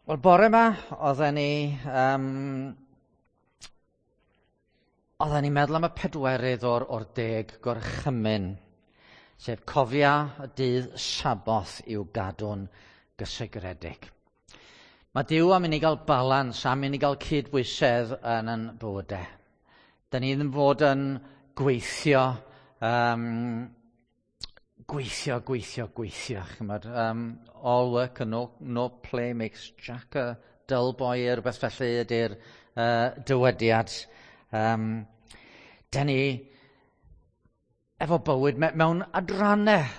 Wel, bore yma, oedden ni, oedden ni'n meddwl am y pedwerydd o'r 10 gorchymyn, sef cofia y dydd Saboth i'w gadw'n gysegredig. Mae Duw am i ni gael balans, am i ni gael cydbwysedd yn ein bywydau. Da ni ddim fod yn gweithio, gweithio, gweithio, gweithio. Chymod, all work and no play makes Jack a dull boy, rhywbeth felly ydy'r dywediad. Da ni efo bywyd mewn adrannau.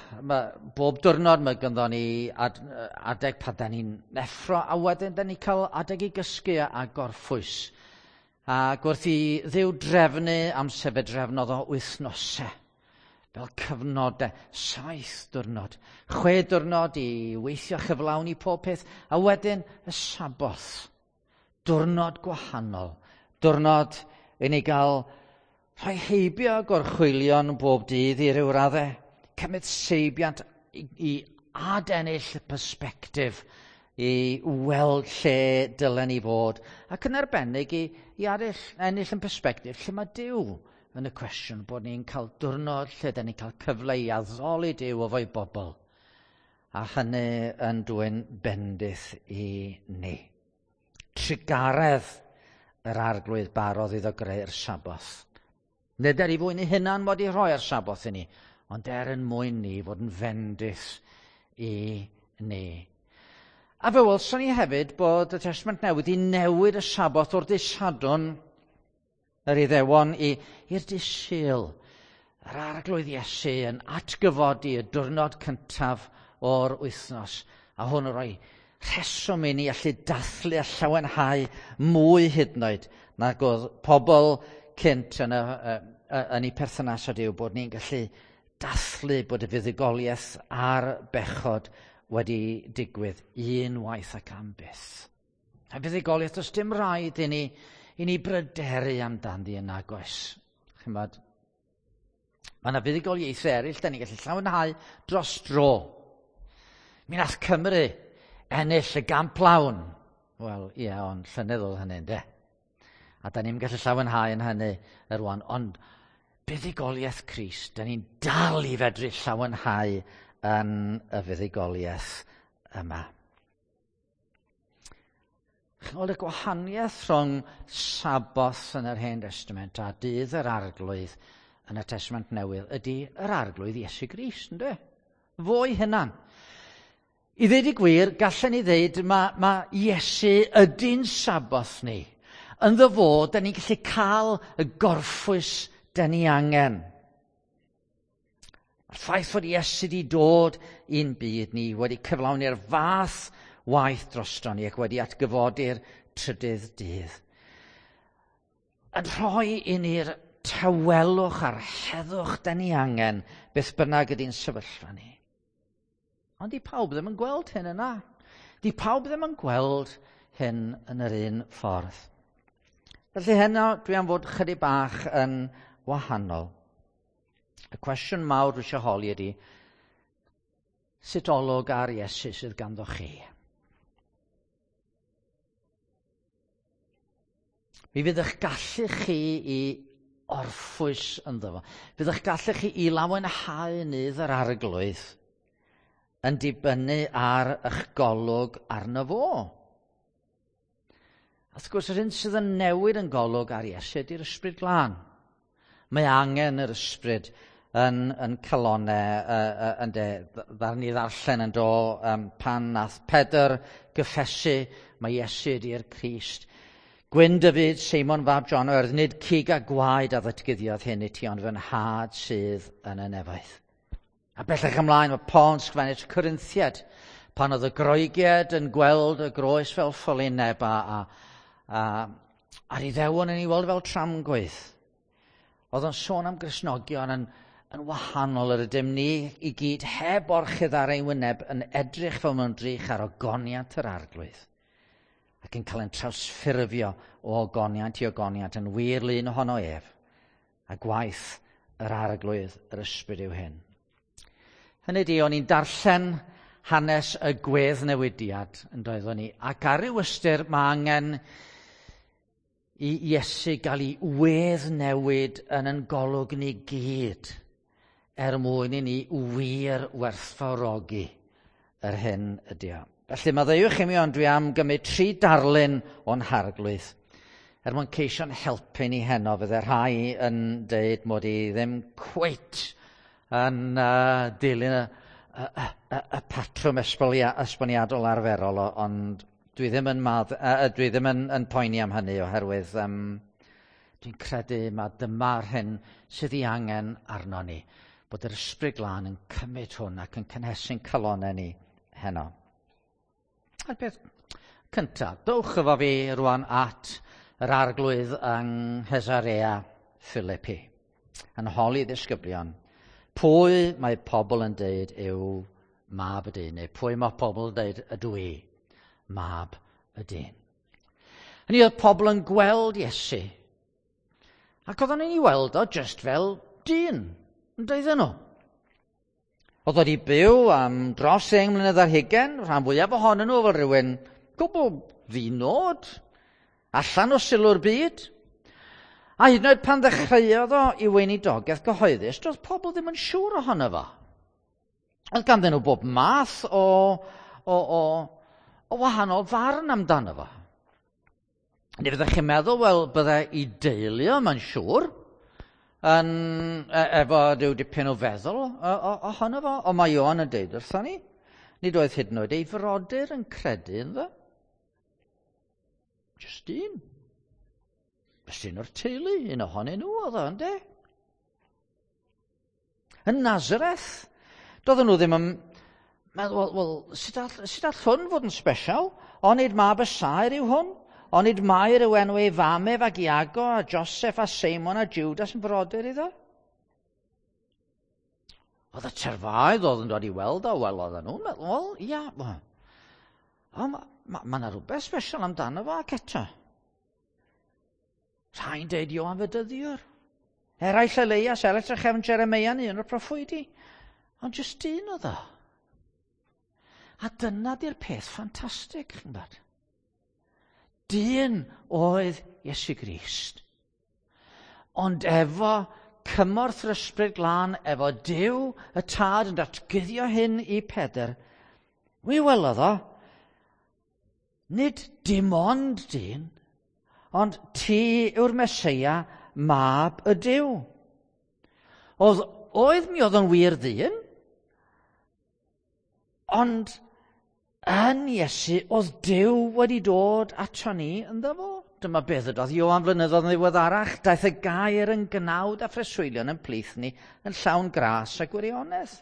Bob diwrnod mae ganddo ni adeg pan da ni'n neffro, a wedyn da ni'n cael adeg i gysgu a gorffwys. Ac wrth i Dduw drefnu amser, fe drefnodd o wythnosau, fel cyfnodau, 7 diwrnod, 6 diwrnod i weithio chyflawni pob peth, a wedyn y Saboth, diwrnod gwahanol, diwrnod i ni gael rhoi heibio gorchwylion bob dydd i ryw raddau, cymryd seibiant i adennill y persbectif, i weld lle dylen ni fod, ac yn arbennig i ennill yn persbectif lle mae Duw yn y cwestiwn, bod ni'n cael diwrnod lle da ni'n cael cyfle i addoli Duw efo'i bobl, a hynny yn dwyn bendith i ni. Trugaredd yr Arglwydd barodd iddo greu'r Saboth. Nid er i fwyn ei hunan mod i rhoi'r Saboth i ni, ond er yn mwyn ni fod yn fendith i ni. A fe welson ni hefyd bod y Testament Newydd i newid y Saboth o'r dydd Sadwrn yr Iddewon i'r dydd Sul. Yr Arglwydd Iesu yn atgyfodi y diwrnod cyntaf o'r wythnos, a hwn yn rhoi rheswm i ni allu dathlu a llawenhau mwy hyd yn oed nag oedd pobl cynt yn eu perthynas â Duw, bod ni'n gallu dathlu bod y fuddugoliaeth a'r bechod wedi digwydd unwaith ac am byth. A fuddugoliaeth, does dim rhaid i ni bryderu amdani yn nagoes. Chymod, mae yna fuddugoliaethau eraill, da ni'n gallu llawenhau dros dro. Mi nath Cymru ennill y gamp lawn. Wel, ie, ond llynedd oedd hynny, ynde? A da ni'n gallu llawenhau yn hynny rwan, ond buddugoliaeth Crist, da ni'n dal i fedru llawenhau yn y fuddugoliaeth yma. Chymod, y gwahaniaeth rhwng Saboth yn yr Hen Testament a dydd yr Arglwydd yn y Testament Newydd ydy yr Arglwydd Iesu Grist, ynde? Fo'i hunan. I ddweud y gwir, gallen ni ddweud mae Iesu ydy'n Saboth ni. Ynddo fo, da ni'n gallu cael y gorffwys da ni angen. A'r ffaith fod Iesu wedi dod i'n byd ni, wedi cyflawni'r fath waith drosto ni ac wedi atgyfodi'r trydydd dydd, yn rhoi i ni'r tawelwch a'r heddwch da ni angen, beth bynnag ydy'n sefyllfa ni. Ond di pawb ddim yn gweld hyn yna. Di pawb ddim yn gweld hyn yn yr un ffordd. Felly heno dwi am fod chydig bach yn wahanol. Y cwestiwn mawr dwi eisiau holi ydy, sut olwg ar Iesu sydd ganddo chi? Mi fydd eich gallu chi i orffwys ynddo fo. Fydd eich gallu chi i lawenhau nydd yr Arglwydd yn dibynnu ar eich golwg arno fo. A wrth gwrs, yr hyn sydd yn newid yn golwg ar Iesu ydy'r Ysbryd Glân. Mae angen yr Ysbryd yn calonau, ynde, ddaru ni ddarllen yn do, pan nath Pedr gyffesu mae Iesu ydy'r Crist. Gwyn dy fyd, Seimon fab John, oherwydd nid cig a gwaed a ddatguddiodd hyn i ti, ond fy nhad sydd yn y nefoedd. A bellach ymlaen, mae Paul yn sgrifennu at y Corinthiaid, pan oedd y Groegiaid yn gweld y groes fel ffolineb a'r Iddewon yn ei weld fel tramgwydd. Oedd o'n sôn am Gristnogion yn wahanol yr ydym ni i gyd heb orchudd ar ein wyneb yn edrych fel mewn drych ar ogoniant yr Arglwydd ac yn cael ein trawsffurfio o ogoniant i ogoniant yn wir lun ohono ef, a gwaith yr Arglwydd yr Ysbryd yw hyn. Hynny ydi, o'n i'n darllen hanes y gweddnewidiad yn doeddwn ni. Ac ar ryw ystyr mae angen i Iesu gael ei weddnewid yn yn golwg ni gyd er mwyn i ni wir werthfawrogi yr hyn ydy o. Felly maddeuwch i mi, ond dwi am gymryd 3 darlun o'n harglwydd er mwyn ceisio'n helpu ni heno. Fydde rhai yn deud mod i ddim cweit yn dilyn y patrwm esboniadol arferol, ond dwi ddim yn dwi ddim yn poeni am hynny oherwydd dwi'n credu mae dyma'r hyn sydd ei angen arno ni, bod yr Ysbryd Glân yn cymryd hwn ac yn cynhesu'n calonnau ni heno. A'r peth cyntaf, dowch efo fi rwan at yr arglwydd yng Nghesarea Philippi, yn holi ddisgyblion. Pwy mae pobl yn deud yw mab y dyn, neu pwy mae pobl yn deud ydw i, mab y dyn. Hynny oedd pobl yn gweld Iesu, ac oedden nhw'n ei weld o just fel dyn, yn deudden nhw. Oedd wedi byw am dros 10 mlynedd ar hugain, rhan fwyaf ohonyn nhw fel rhywun gwbl ddinod, allan o sylw'r byd. A hyd yn oed pan ddechreuodd o i weinidogaeth gyhoeddus, doedd pobl ddim yn siŵr ohono fo. Oedd ganddyn nhw bob math o wahanol farn amdano fo. Neu fyddech chi'n meddwl, wel, bydde i deulu o, mae'n siŵr, yn, efo rhyw dipyn o feddwl ohono fo, ond mae Ioan yn deud wrthon ni, nid oedd hyd yn oed ei frodyr yn credu ynddo. Just un. Just un o'r teulu, un ohonyn nhw oedd o, ynde? Yn Nazareth, doedden nhw ddim yn meddwl, wel, sut all hwn fod yn special? Onid mab y saer yw hwn? Onid Mair yw enw ei fam ef ac Iago a Joseph a Seimon a Judas yn frodyr iddo? Oedd y terfaoedd oedd yn dod i weld o, wel, oedden nhw'n meddwl, wel, ia, ond mae yna rhywbeth special amdano fo ac eto. Rhai'n deud Ioan Fedyddiwr. Eraill Elias, eraill trachefn Jeremeia, un o'r proffwydi. Ond jyst un oedd o. A dyna di'r peth ffantastig, chi'n gwybod. Dyn oedd Iesu Grist. Ond efo cymorth yr Ysbryd Glân, efo Duw y Tad yn datguddio hyn i Pedr, mi welodd o, nid dim ond dyn, ond ti yw'r Meseia, mab y Duw. Oedd mi oedd o'n wir ddyn, ond yn Iesu oedd Duw wedi dod ato ni ynddo fo. Dyma beth ydoedd Ioan flynyddoedd yn ddiweddarach, daeth y gair yn gnawd a phreswylion yn plith ni yn llawn gras a gwirionedd.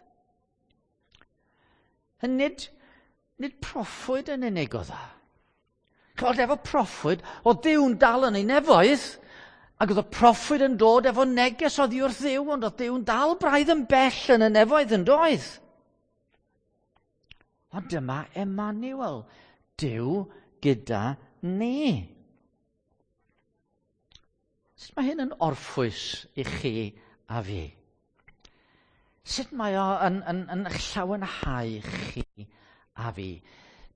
Nid proffwyd yn unig oedd o. Chweld, efo proffwyd, oedd Duw'n dal yn ei nefoedd, ac oedd y proffwyd yn dod efo neges oddi wrth Dduw, ond oedd Duw'n dal braidd yn bell yn y nefoedd yn doedd. Ond dyma Emmanuel, Duw gyda ni. Sut mae hyn yn orffwys i chi a fi? Sut mae o yn llawenhau chi a fi?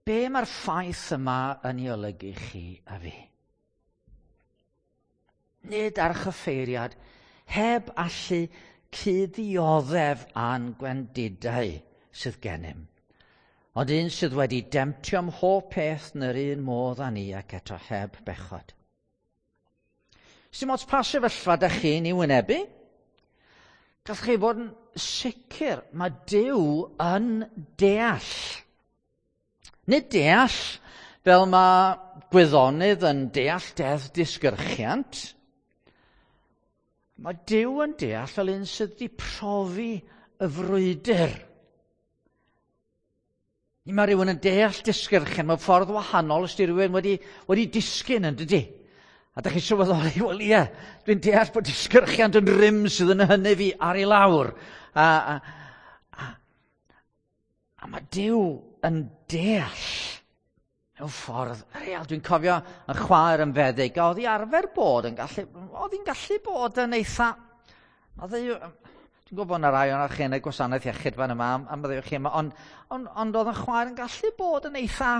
Be mae'r ffaith yma yn ei olygu chi a fi? Nid archyffeiriad heb allu cuddioddef a'n gwendidau sydd gennym, ond un sydd wedi demtio ym mhob peth yn yr un modd â ni ac eto heb bechod. Sdim ots pa sefyllfa dych chi'n ei wynebu? Gallwch chi fod yn sicr mae Duw yn deall. Nid deall fel mae gwyddonydd yn deall deddf disgyrchiant. Mae Duw yn deall fel un sydd wedi profi y frwydr. Mae rhywun yn deall disgyrchiant mewn ffordd wahanol os di rhywun wedi disgyn yn dydi. A dych chi'n sylweddoli, wel ie, dwi'n deall bod disgyrchiant yn rym sydd yn hynny fi ar ei lawr. A mae Duw yn deall mewn ffordd real. Dwi'n cofio yn chwaer yn feddyg, a oedd hi arfer bod yn gallu, oedd hi'n gallu bod yn eitha, dwi'n Dwi'n gwybod bod yna rai o'n chi yn y gwasanaeth iechyd fan yma, am byddwch chi yma, ond, ond, ond oedd yn chwaer yn gallu bod yn eitha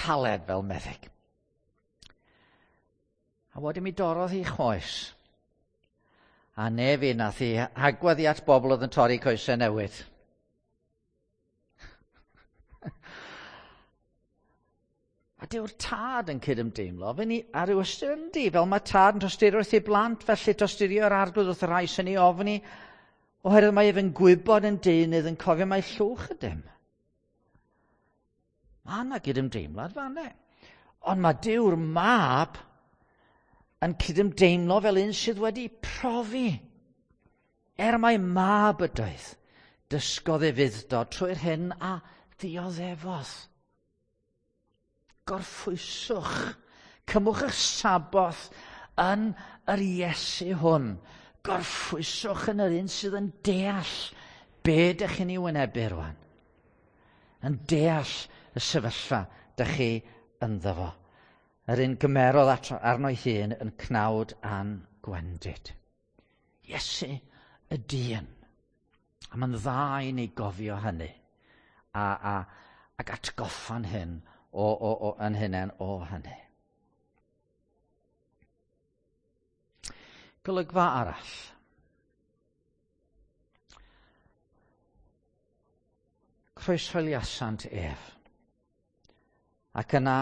caled fel meddyg. A wedyn mi dorrodd hi choes. A ne fi nath hi hagwedd i at bobl oedd yn torri coesau newydd. A dyw'r tad yn cydymdeimlo, fe ni ar ryw ystyr yndi, fel mae tad yn tosturio wrth ei blant, felly tosturio'r arglwydd wrth y rhai sy'n ei ofni, oherwydd mae ef yn gwybod yn deunydd yn cofio mai llwch ydym. Mae yna gydymdeimlad fanne. Ond mae Dyw'r mab yn cydymdeimlo fel un sydd wedi profi. Er mai mab ydoedd, dysgodd ei fudd-dod trwy'r hyn a ddioddefodd. Gorffwyswch. Cymwch eich saboth yn yr Iesu hwn. Gorffwyswch yn yr un sydd yn deall be dych chi'n ei wynebu rwan. Yn deall y sefyllfa dych chi ynddo fo. Yr un gymerodd arno'i hun yn cnawd a'n gwendid. Iesu y dyn. A mae'n dda i ni gofio hynny. A, a, ac atgoffa'n hyn o, o, o, yn hunain o hynny. Golygfa arall. Croeshoeliasant ef, ac yna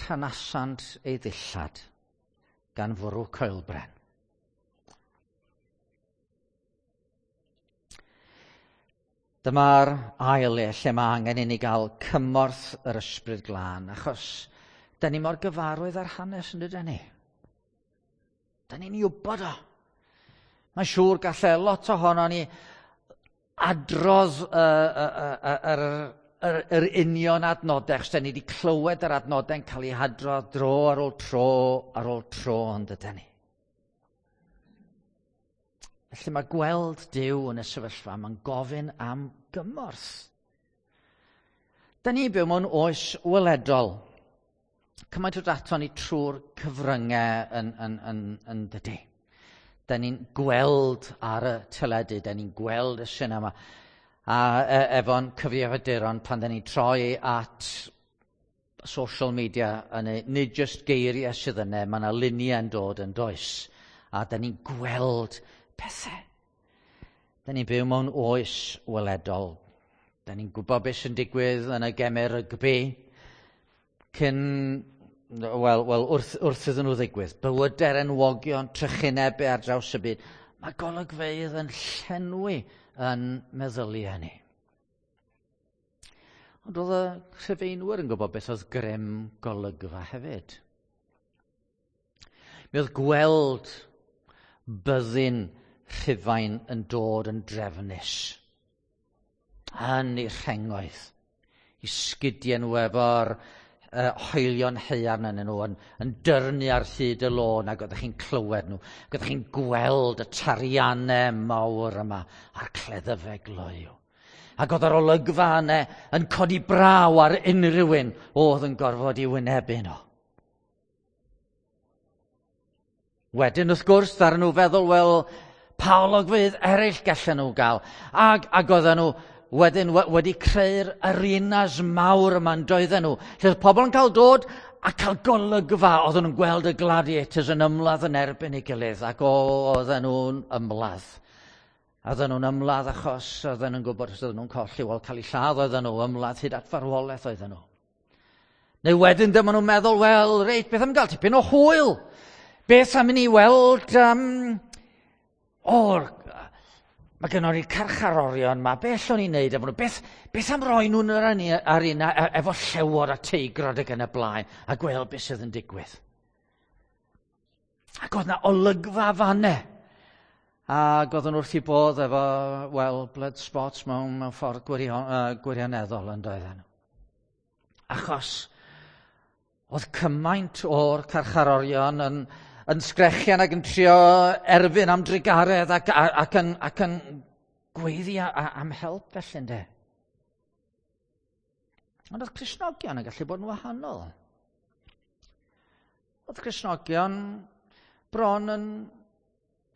rhanasant ei ddillad gan fwrw coelbren. Dyma'r ail le lle mae angen i ni gael cymorth yr ysbryd glân, achos da ni mor gyfarwydd â'r hanes yn dydyn ni. Da ni'n ei wybod o. Mae'n siŵr gallai lot ohono ni adrodd yr, yr, yr union adnodau, achos da ni wedi clywed yr adnodau'n cael eu hadrodd dro ar ôl tro ar ôl tro, ond dydyn ni. Felly mae gweld Duw yn y sefyllfa, mae'n gofyn am gymorth. Da ni'n byw mewn oes weledol. Cymaint o dato ni trwy'r cyfryngau yn, yn, yn, yn dydy. Da ni'n gweld ar y teledu, da ni'n gweld y sinema. A e, efo'n cyfrifiaduron pan da ni'n troi at social media, yn ei, nid just geiriau sydd yna, mae yna luniau yn dod yn does. A da ni'n gweld pethau. Da ni'n byw mewn oes weledol. Da ni'n gwybod beth sy'n digwydd yn y gemau rygbi cyn, wel, wel wrth, wrth iddyn nhw ddigwydd. Bywydau'r enwogion, trychinebau ar draws y byd. Mae golygfeydd yn llenwi yn meddyliau ni. Ond oedd y Rhufeinwyr yn gwybod beth oedd grym golygfa hefyd. Mi oedd gweld byddin Rhufain yn dod yn drefnus yn ei rhengoedd, i sgidiau nhw efo'r uh, hoelion haearn yn nhw, yn, yn dyrnu ar hyd y lôn ac oeddech chi'n clywed nhw, ac oeddech chi'n gweld y tariannau mawr yma a'r cleddyfau gloyw. Ac oedd yr olygfa yna yn codi braw ar unrhyw un oedd yn gorfod i wynebu nhw. Wedyn, wrth gwrs, ddaru nhw feddwl, wel, pa olygfeydd eraill gallen nhw gael? Ac, ac oedden nhw wedyn wedi creu'r arenas mawr yma yn doedden nhw. Lle oedd pobl yn cael dod a cael golygfa. Oedden nhw'n gweld y gladiators yn ymladd yn erbyn ei gilydd ac oedden nhw'n ymladd. Oedden nhw'n ymladd achos oedden nhw'n gwybod os oedden nhw'n colli, wel cael eu lladd oedden nhw, ymladd hyd at farwolaeth oedden nhw. Neu wedyn dyma nhw'n meddwl, wel, reit, beth am gael tipyn o hwyl? Beth am i ni weld... Um, o'r... Mae gennon ni carcharorion ma, beth o'n i'n neud efo nhw? Beth, beth am roi nhw'n yr arena efo llewod a teigrod ac yn y blaen a gweld beth sydd yn digwydd? Ac oedd na olygfa fanne. Ac oedden nhw wrth i bodd efo, wel, blood spots mewn, mewn ffordd gwirion, uh, gwirioneddol yn doedden nhw. Achos oedd cymaint o'r carcharorion yn, yn sgrechian ac yn trio erfyn am drugaredd ac, ac, yn, ac yn gweiddi am help felly ynde. Ond oedd Cristnogion yn gallu bod yn wahanol. Oedd Cristnogion bron yn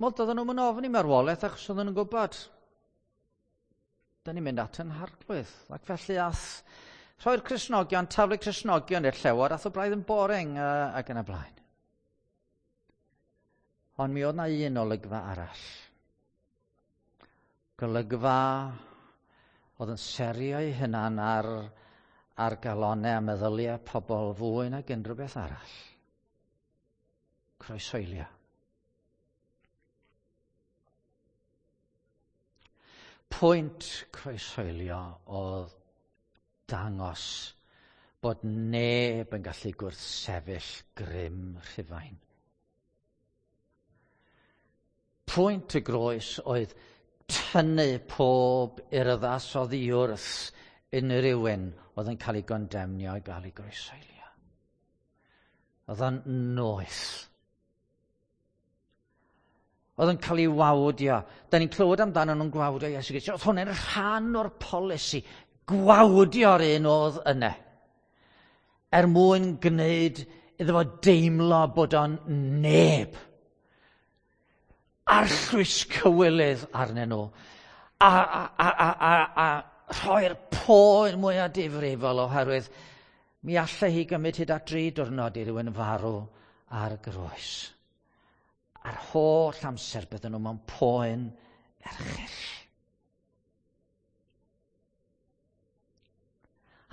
Wel, doedden nhw'n ofni marwolaeth achos oedden nhw'n gwybod. Da ni'n mynd at yn harglwydd. Ac felly ath rhoi'r Cristnogion, taflu Cristnogion i'r llewod, ath o braidd yn boring ac yn y blaen. Ond mi oedd na un olygfa arall. Golygfa oedd yn serio ei hunan ar galonau a meddyliau pobl fwy nag unrhyw beth arall. Croeshoelio. Pwynt croeshoelio oedd dangos bod neb yn gallu gwrthsefyll grym Rhufain. Pwynt y groes oedd tynnu pob urddas oddi wrth unrhyw un oedd yn cael ei gondemnio i gael ei groeshoelio. Oedd o'n noeth. Oedd yn cael ei wawdio. Da ni'n clywed amdano nhw'n gwawdio Iesu Grist. Oedd hwnna'n rhan o'r polisi. Gwawdio'r un oedd yna. Er mwyn gwneud iddo fo deimlo bod o'n neb. Arllwys cywilydd arnyn nhw. A rhoi'r poen mwyaf difrifol oherwydd mi allai hi gymryd hyd at 3 diwrnod i rywun farw ar groes. A'r holl amser bydden nhw mewn poen erchyll.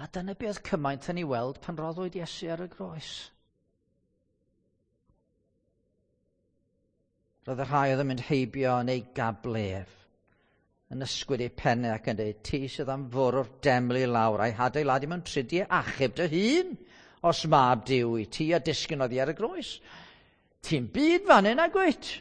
A dyna beth cymaint yn ei weld pan roddwyd Iesu ar y groes. Roedd y rhai oedd yn mynd heibio yn ei gablef, yn ysgwyd eu pennau ac yn dweud, ti sydd am fwrw'r deml i lawr a'i hadeiladu mewn tridiau, achub dy hun, os mab Duw i ti a disgyn oddi ar y groes. Ti'n byd fan hyn ag wyt.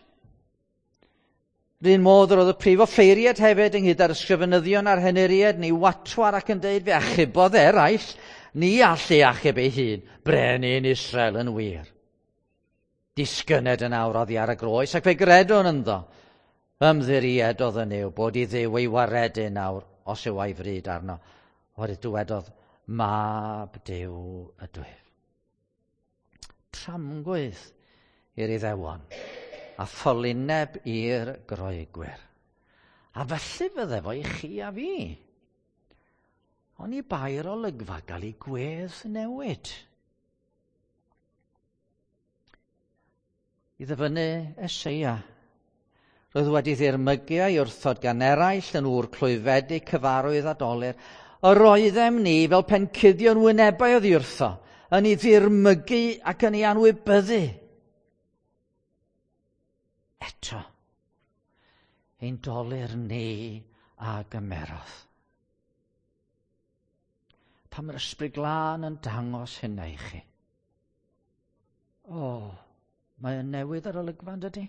R'un modd yr oedd y prif offeiriad hefyd ynghyd â'r ysgrifenyddion a'r henuriaid neu watwar ac yn deud fe achubodd eraill, ni all ei achub ei hun, brenin Israel yn wir. Disgyned yn awr oddi ar y groes ac fe gredwn ynddo. Ymddiriedodd yn yw bod i Dduw ei waredu nawr os yw a'i fryd arno. Oherwydd dywedodd, mab Duw ydwyf. Tramgwydd i'r Iddewon a ffolineb i'r Groegwyr. A felly fydde fo i chi a fi. Ond i bai'r olygfa gael ei gwedd newid. I ddyfynnu Eseia, roedd wedi ddirmygu a'i wrthod gan eraill yn ŵr clwyfedig cyfarwydd a dolur. Yr oeddem ni fel pencuddion wynebau oddi wrtho, yn ei ddirmygu ac yn ei anwybyddu. Eto, ein dolur ni a gymerodd. Pan mae'r Ysbryd Glân yn dangos hynna i chi. O, mae o'n newydd ar olygfa, yn dydi?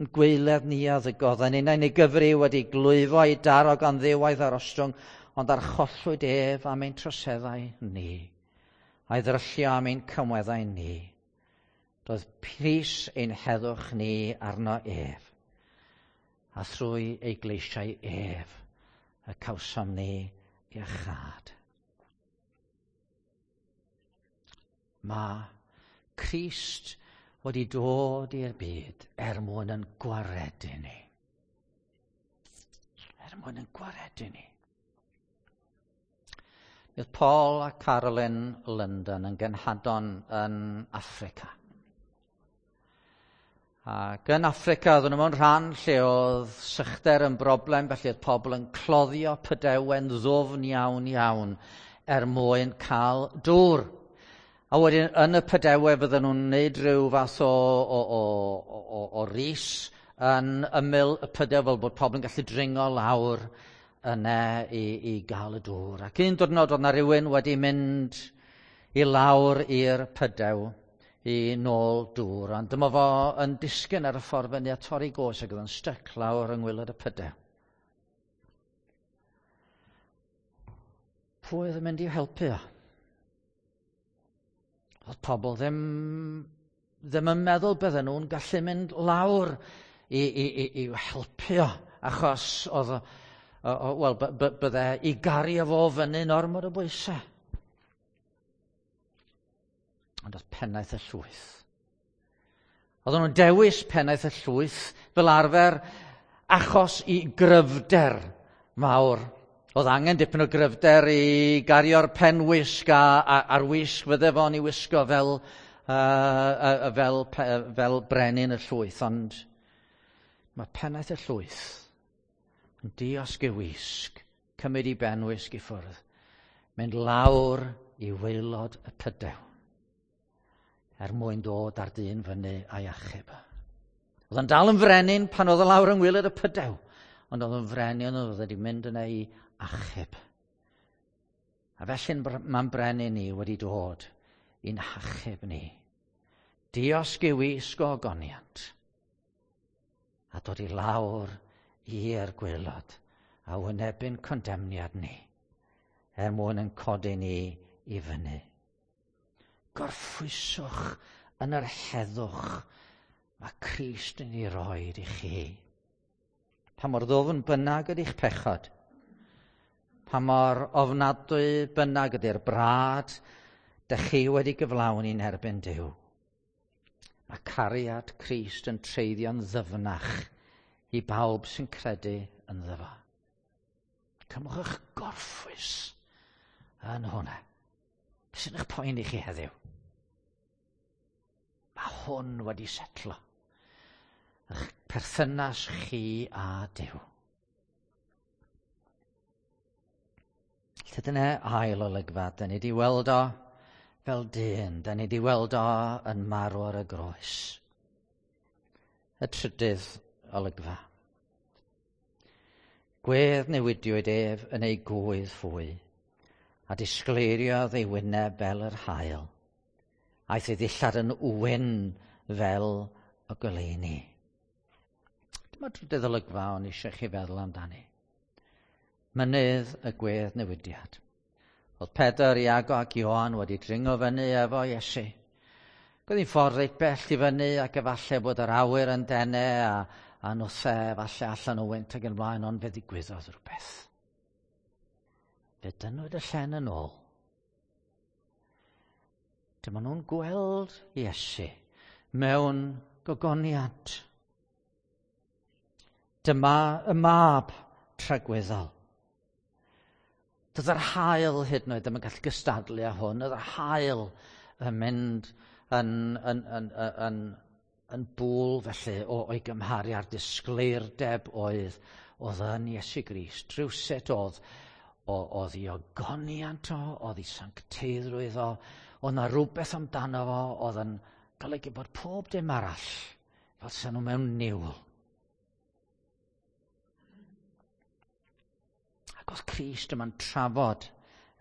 Yn gweiledd ni a ddygodd, yn unau neu gyfri wedi glwyfo ei daro gan ddiwaith ar ostwng, ond archollwyd ef am ein troseddau ni, a'i ddryllio am ein cymweddau ni. Roedd pris ein heddwch ni arno ef, a thrwy ei gleisiau ef y cawsom ni iachâd. Mae Crist wedi dod i'r byd er mwyn yn gwaredu ni. Er mwyn yn gwaredu ni. Bydd Paul a Carolyn London yn genhadon yn Affrica. Ac yn Affrica, oedden nhw mewn rhan lle oedd sychder yn broblem, felly oedd pobl yn cloddio pydewen ddwfn iawn iawn er mwyn cael dŵr. A wedyn yn y pydewe fydden nhw'n gwneud rhyw fath o ris yn ymyl y pydew fel bod pobl yn gallu dringo lawr yna i gael y dŵr. Ac un diwrnod oedd 'na rywun wedi mynd i lawr i'r pydew i nôl dŵr, ond dyma fo yn disgyn ar y ffordd fyny a torri goes ac oedd yn styc lawr yng ngwaelod y pydew. Pwy oedd yn mynd i'w helpu o? Oedd pobl ddim yn meddwl bydden nhw'n gallu mynd lawr i'w helpu o, achos oedd wel, bydde i gario fo fyny'n ormod o bwysau. Ond oedd pennaeth y llwyth Oedden nhw'n dewis pennaeth y llwyth fel arfer achos i gryfder mawr. Oedd angen dipyn o gryfder i gario'r penwisg a'r wisg fydde fo'n ei wisgo fel brenin y llwyth. Ond mae pennaeth y llwyth yn diosg ei wisg, cymryd ei benwisg i ffwrdd, mynd lawr i waelod y pydew er mwyn dod ar dyn fyny a'i achub. Oedd o'n dal yn frenin pan oedd o lawr yng ngwaelod y pydew, ond oedd o'n frenin oedd wedi mynd yna i achub. A felly mae'n brenin ni wedi dod i'n hachub ni. Diosg ei wisg o ogoniant a dod i lawr i'r gwaelod a wynebu'n condemniad ni er mwyn yn codi ni i fyny. Gorffwyswch yn yr heddwch mae Crist yn ei roed i chi. Pa mor ddwfn bynnag ydy'ch pechod, pa mor ofnadwy bynnag ydy'r brad dych chi wedi gyflawni'n erbyn Duw. Mae cariad Crist yn treiddio'n ddyfnach i bawb sy'n credu ynddo fo. Cymwch eich gorffwys yn hwnna. Beth sy'n eich poeni chi heddiw? Mae hwn wedi setlo. Eich perthynas chi a Duw. Lle dyna ail olygfa, da ni wedi weld o fel dyn, da ni wedi weld o yn marw ar y groes. Y trydydd olygfa. Gwedd newidiwyd ef yn ei gwydd fwy, a disgleiriodd ei wyneb fel yr haul. Aeth ei ddillad yn wyn fel y goleuni. Dyma trydydd olygfa o'n eisiau chi feddwl amdani. Mynydd y gwedd newidiad. Oedd Pedr, Iago ac Ioan wedi dringo fyny efo Iesu. Oedd hi'n ffordd reit bell i fyny ac efallai bod yr awyr yn dene a nwthau efallai allan o wynt ac yn blaen, ond fe ddigwyddodd rhywbeth. Fe dynnwyd y llen yn ôl. Dyma nhw'n gweld Iesu mewn gogoniant. Dyma y mab tragwyddol. Doedd yr haul hyd yn oed ddim yn gallu gystadlu â hwn. Oedd yr haul yn mynd yn bŵl felly o'i gymharu â'r disgleirdeb oedd yn Iesu Grist. Rhywsut oedd ei ogoniant o, oedd ei sancteiddrwydd o, oedd 'na rhywbeth amdano fo oedd yn golygu bod pob dim arall fel sa nhw mewn niwl. Ac oedd Crist yma'n trafod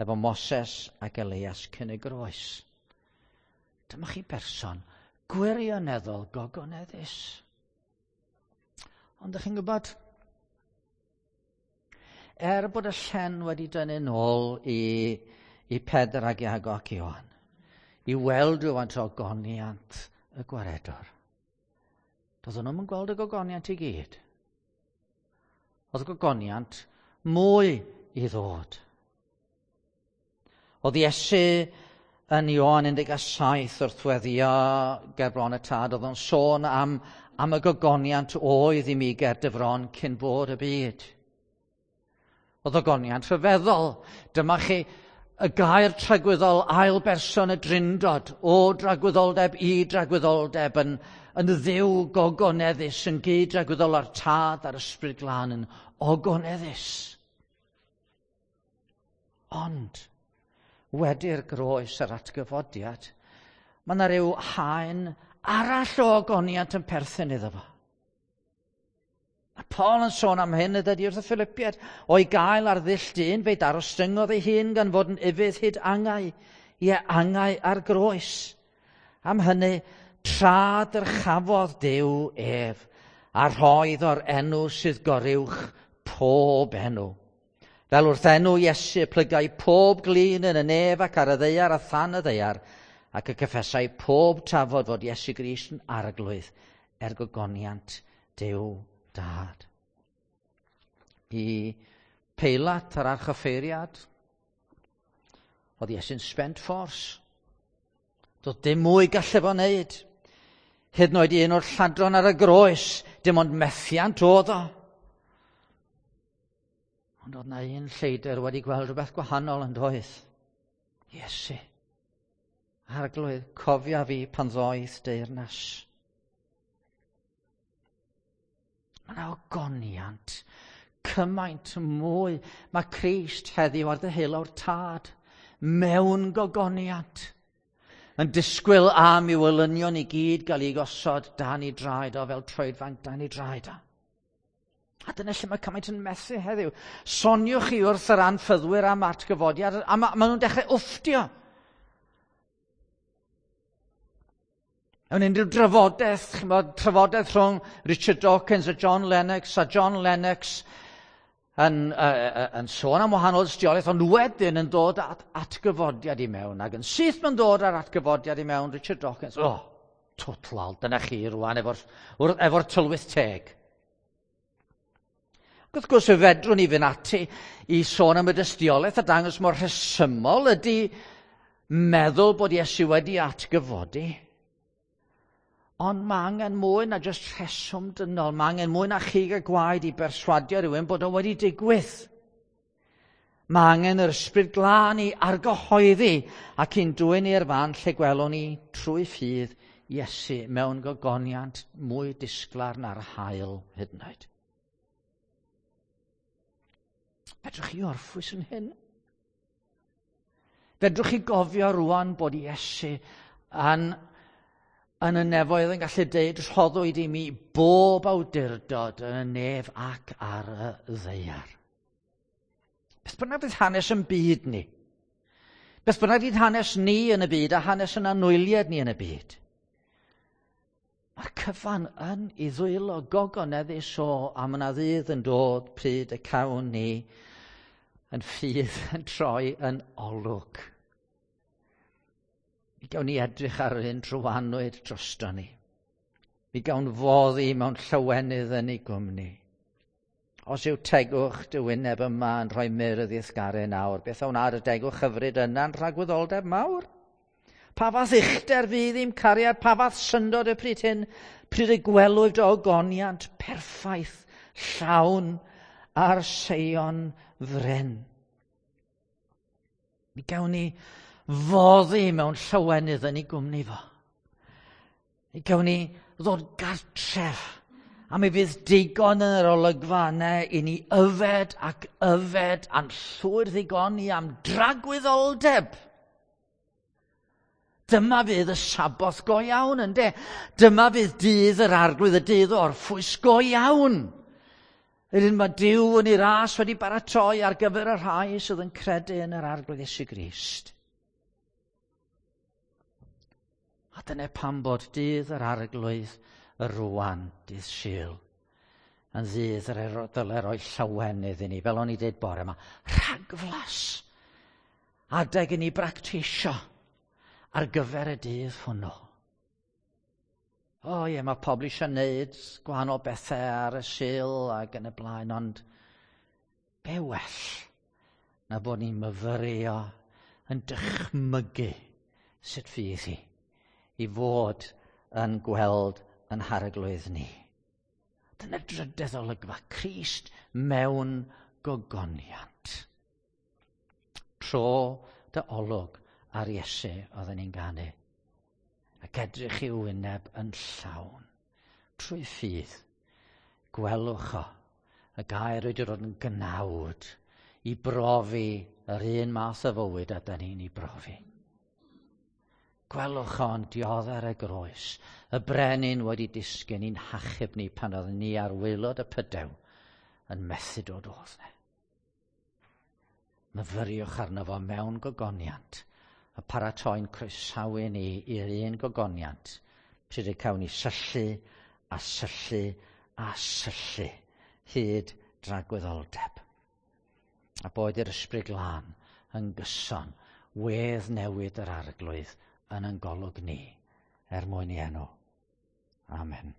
efo Moses ac Elias cyn y groes. Dyma chi berson gwirioneddol gogoneddus. Ond ydych chi'n gwybod, er bod y llen wedi dynnu nôl i Pedr ac Iago ac Ioan, i weld rhywfaint o ogoniant y gwaredwr, doedden nhw'm yn gweld y gogoniant i gyd. Oedd y gogoniant mwy i ddod. Oedd Iesu yn Ioan 17 wrth weddio ger bron y tad, oedd o'n sôn am y gogoniant oedd i mi ger dy fron cyn bod y byd. Oedd ogoniant rhyfeddol. Dyma chi y gair tragwyddol ail berson y drindod, o dragwyddoldeb i dragwyddoldeb, yn ddiw gogoneddus, yn gyd dragwyddol â'r tad a'r ysbryd glân yn ogoneddus. Ond, wedi'r groes a'r atgyfodiad, mae yna rhyw haen arall o ogoniant yn perthyn iddo fo. Mae Paul yn sôn am hyn y dydy wrth y Philippiaid. O'i gael ar ddull dyn, fe'i darostyngodd ei hun gan fod yn ufudd hyd angau, ie angau ar groes. Am hynny, tra dyrchafodd Duw ef, a rhoedd o'r enw sydd goruwch pob enw. Fel wrth enw Iesu plygai pob glin yn y nef ac ar y ddaear a than y ddaear, ac y cyffesai pob tafod fod Iesu Grist yn arglwydd er gogoniant Duw Dad. I Peilat a'r archoffeiriad, oedd Iesu'n spent force. Doedd dim mwy gallu fo wneud. Hyd yn oed un o'r lladron ar y groes, dim ond methiant oedd o. Ond oedd na un lleidr wedi gweld rhywbeth gwahanol yn doedd. Iesu, Arglwydd, cofia fi pan ddoeth deyrnas. Mae yna ogoniant cymaint mwy. Mae Crist heddiw ar ddeheulaw'r Tad mewn gogoniant yn disgwyl am i'w elynion i gyd gael ei gosod dan ei draed o fel troedfanc dan ei draed o. A dyna lle mae cymaint yn methu heddiw. Soniwch chi wrth yr anffyddwyr am atgyfodiad, a ma, ma nhw'n dechrau wfftio. Mewn unrhyw drafodaeth, chymod, trafodaeth rhwng Richard Dawkins a John Lennox, a John Lennox yn, yn sôn am wahanol dystiolaeth, ond wedyn yn dod at atgyfodiad i mewn, ac yn syth mae'n dod ar atgyfodiad i mewn, Richard Dawkins, oh, total, dyna chi rwan efo'r efo tylwyth teg. Ac wrth gwrs, fe fedrwn ni fynd ati i sôn am y dystiolaeth a dangos mor rhesymol ydy meddwl bod Iesu wedi atgyfodi. Ond mae angen mwy na jyst rheswm dynol. Mae angen mwy na chig a gwaed i berswadio rhywun bod o wedi digwydd. Mae angen yr ysbryd glân i argyhoeddi ac i'n dwyn i'r fan lle gwelwn ni trwy ffydd Iesu mewn gogoniant mwy disglair na'r haul hyd yn oed. Fedrwch chi orffwys yn hyn? Fedrwch chi gofio rwan bod Iesu yn yn y nefoedd yn gallu deud rhoddwyd i mi bob awdurdod yn y nef ac ar y ddaear. Beth bynnag fydd hanes yn byd ni. Beth bynnag fydd hanes ni yn y byd a hanes yn anwyliad ni yn y byd. Mae'r cyfan yn ei ddwylo gogoneddus o a mae yna ddydd yn dod pryd y cawn ni yn ffydd yn troi yn olwg. Mi gawn ni edrych ar yr un trywanwyd drosto ni. Mi gawn foddi mewn llywenydd yn ei gwmni. Os yw tegwch dy wyneb yma yn rhoi myrdd i'th garu nawr, beth a wna dy degwch hyfryd yna'n rhagwyddoldeb mawr? Pa fath uchder fydd i'm cariad, pa fath syndod y pryd hyn, pryd y gwelwyd o ogoniant perffaith, llawn ar Seion fryn. Mi gawn ni foddi mewn llywenydd yn ei gwmni fo. Mi gawn ni ddod gartref a mi fydd digon yn yr olygfa yna i ni yfed ac yfed a'n llwyr ddigoni am dragwyddoldeb. Dyma fydd y Saboth go iawn, ynde? Dyma fydd dydd yr Arglwydd, y dydd orffwys go iawn. Yr un mae Duw yn ei ras wedi baratoi ar gyfer y rhai sydd yn credu yn yr Arglwydd Iesu Grist. A dyna pam bod dydd yr Arglwydd y rwan, dydd Sul, yn ddydd yr dyle roi llawenydd i ni, fel o'n i dweud bore yma, rhagflas, adeg i ni bractisio ar gyfer y dydd hwnnw. O ie, mae pobl eisiau gwneud gwahanol bethau ar y Sul ac yn y blaen, ond be well na bod ni'n myfyrio yn dychmygu sut fydd hi i fod yn gweld yn harglwydd ni. Dyna drydedd olygfa, Crist mewn gogoniant. Tro dy olwg ar Iesu oedden ni'n ganu. Ac edrych i'w wyneb yn llawn. Trwy ffydd, gwelwch o, y gair wedi dod yn gnawd i brofi yr un math o fywyd a da ni'n ei brofi. Gwelwch o'n dioddef ar y groes, y brenin wedi disgyn i'n hachub ni pan oeddwn ni ar waelod y pydew yn methu dod odd ne. Myfyriwch arno fo mewn gogoniant, a paratoi'n croesawu ni i'r un gogoniant, pryd y cawn ni syllu a syllu a syllu hyd dragwyddoldeb. A boed i'r ysbryd glân yn gyson, wedd newid yr Arglwydd yn ein golwg ni, er mwyn i enw. Amen.